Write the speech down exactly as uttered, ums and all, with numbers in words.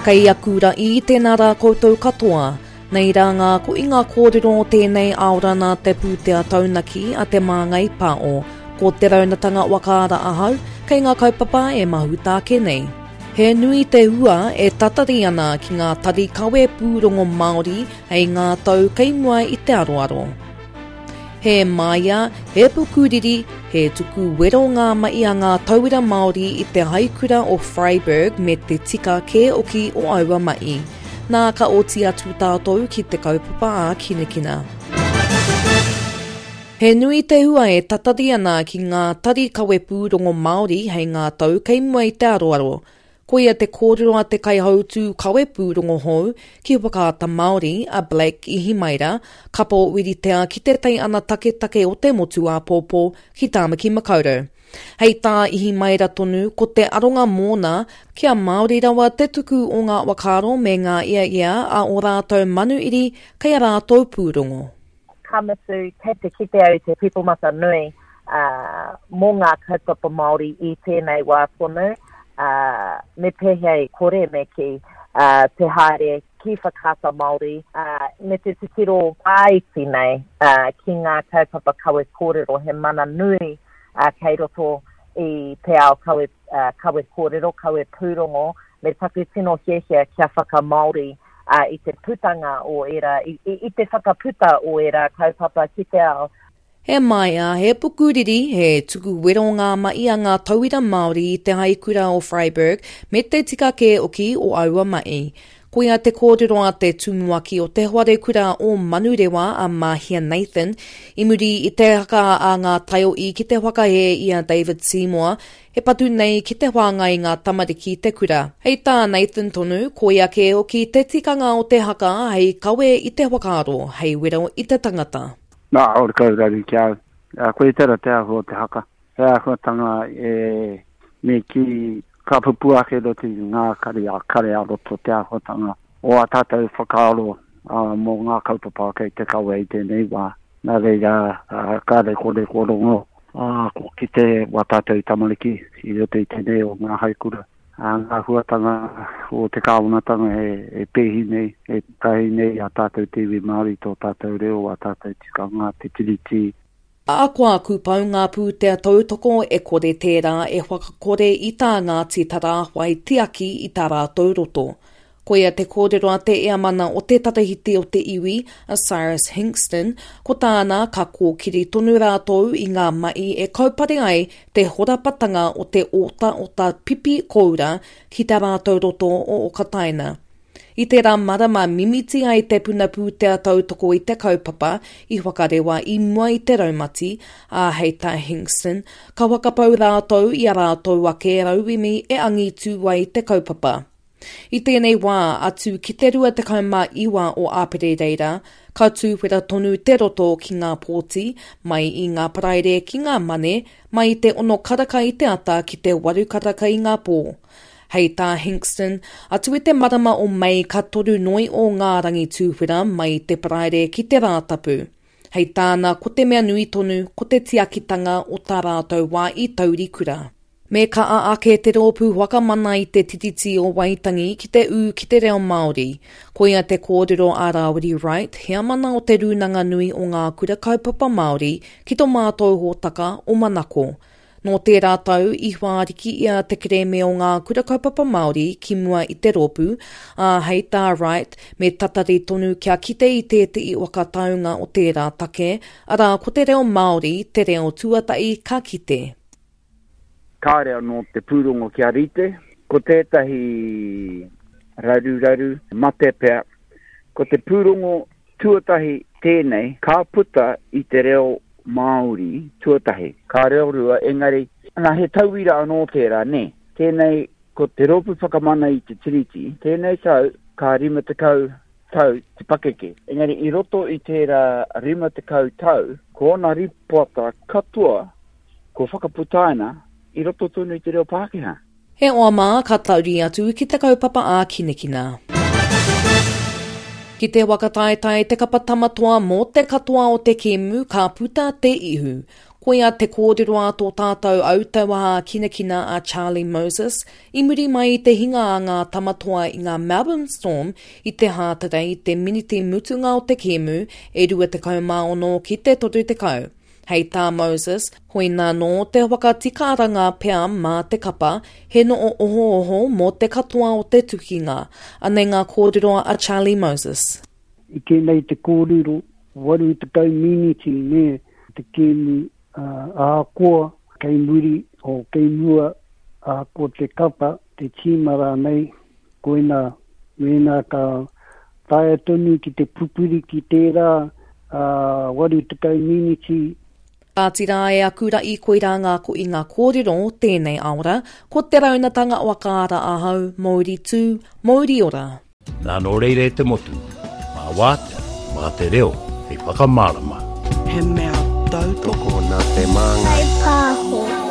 Kei aku ra'i, tēnā rā koutou katoa. Nei rā ngā koinga kōrero o tēnei aorana te pūtea taunaki a Te Māngai Pāo. Ko te raunatanga wakaara ahau, kei ngā kaupapa e mahuta ake nei. He nui te hua e tatari ana ki ngā tari kawe pūrongo Māori hei ngā tau kei mua i te aroaro. He māia, he pukuriri, he tuku wero ngā mahi a ngā tauira Māori i te haikura o Freiburg me te tika kē oki o aua mahi. Nā ka oti atu tātou ki te kaupapa a Kinekina. He nui te hua e tatari ana ki ngā tari kawe pūrongo Māori hei ngā tau kei mua i te aroaro. Koia te kōrero a te kaihautū kawe pūrongo hou ki Whakaata Māori a Blake Ihimaera, kapo wiritea ki te tai ana taketake o te motu āpōpō ki Tāmaki Makaurau. Hei tā Ihimaera tonu, ko te aronga mōna kia Māori rawa te tuku o ngā whakaaro me ngā ia ia a o rātou manuiri kei a rātou pūrongo. Ka mutu, kei te kite au te pipomata nui uh, mō ngā kaupapa Māori i tēnei wā tonu. Uh, me pēhea e kore me ki uh, te haere ki Whakaata Māori uh, me te titiro whāiti nei uh, ki ngā kaupapa kawe kōrero he mana nui uh, kei roto i te ao kawe, uh, kawe kōrero, kawe pūrongo, me taku tino hiahia kia whakamāori uh, i te putanga o era, i, i, i te whakaputa o era kaupapa ki te ao. He maia, he pukuriri, he tuku wero ngā mahi a ngā tauira Māori i te haikura o Freiburg me te tika kē oki o aua mahi. Koia te kōrero a te tumuaki o te wharekura o Manurewa a Mahia Nathan, i muri i te haka a ngā taiohi ki te whakahē i a David Seymour, he patu nei ki te whāngai ngā tamariki te kura. Hei tā Nathan tonu, koia kē hoki te tikanga o te haka hei kawe i te whakaaro, hei wero i te tangata. Nā, ore kau raru ki au. Koe tera te ahu o te haka. He āhuatanga e me ki ka pupu ake roto i ngā kare a kare a roto te āhuatanga o a tātou whakaaro uh, mō ngā kaupapa kei te kawe i tēnei wā. Nā reira, uh, kāre kore ko rongo, uh, ko ki te wā tātou tamariki i roto i tēnei o ngā haikura. Uh, ngā huatanga o te kāwanatanga e, e pēhi nei, e tahi nei a tātou te iwi Māori, tō tātou reo, a tātou tikanga, te tiriti. Ahakoa kūpau ngā pūtea tautoko e kore tērā e whakakore i tā Ngāti Tarāwhai tiaki i tā rātou roto. Koia te kōrero a te eamana o te tarahiti o te iwi, a Cyrus Hingston, ko tāna ka kōkiri tonu rātou i ngā mahi e kaupare ai te horapatanga o te ota ota pipi koura ki tā rātou roto o Okataina. I tērā marama mimiti ai te puna pūtea tautoko i te kaupapa i whakarewa i mua i te raumati, ā hei tā Hingston, ka whakapau rātou i a rātou ake rauemi e angitu ai te kaupapa. I tēnei wā, atu ki te rua tekau mā iwa o Āpere reira, ka tūwhera tonu te roto ki ngā pōti, mai i ngā paraire ki ngā mane, mai i te ono karaka i te ata ki te waru karaka i ngā pō. Hei tā Hingston, atu i te marama o Mei ka toru noi o ngā rangi tūwhera mai i te paraire ki te Rātapu. Hei tāna, ko te mea nui tonu, ko te tiakitanga o tā rātou wā i taurikura. Me ka a ake te rōpū whakamana i te tiriti o Waitangi ki te ū ki te reo Māori. Koia te kōrero a Rāwiri Wright, heamana o te Rūnanga Nui o Ngā Kura Kaupapa Māori ki tō mātou hōtaka o Manako. Nō tērā tau i whāriki ia te kerēme o Ngā Kura Kaupapa Māori ki mua i te rōpū, ā hei tā Wright, me tatari tonu kia kite i tētehi whakataunga o tērā take, arā ko te reo Māori, te reo tuatahi ka kite. Kāre anō te pūrongo kia rite, ko tētahi raruraru mate pea, ko te pūrongo tuatahi tēnei ka puta i te reo Māori tuatahi. Ka reo rua, engari, nā he tauira anō tērā, nē. Tēnei, ko te rōpū whakamana i te tiriti, tēnei tau ka rima tekau tau te pakeke. Engari, i roto i tērā rima tekau tau, ko ona ripoata katoa, ko whakaputaina, i roto tonu i te reo Pākehā. He oa mā ka tauri atu ki te kaupapa a Kinekina. Ki te whakataetae te kapa tamatoa mō te katoa o te kēmu ka puta te ihu. Koia te kōrero a tō tātou autauaha kinakina a Charlie Moses i muri mai i te hinga a ngā tamatoa i ngā Melbourne Storm i te Hātarei i te miniti mutunga o te kēmu e rua tekau mā ono ki te toru tekau. Hei tā Moses, hoina nō te whakatikaranga pea mā te kapa, he noo ohooho mō te katoa o te tukinga. Anei ngā kōrero a Charlie Moses. I tēnei te kōrero, waru tekau miniti ne te kēmu ahakoa kei muri o kei mua ahakoa te kapa, te tīma rānei, koina mēnā ka taea tonu ki te pupuri ki tērā uh, waru tekau miniti. Kāti rā e aku ra'i koirā ngā ko i ngā kōrero tēnei aora, ko te raunatanga o Akaara ahau, Mauri tū, Mauri ora. Nā nō reira e te motu, mā wātea, mā te reo, hei whakamārama. He mea tautoko nā te māngai. Kai pāho.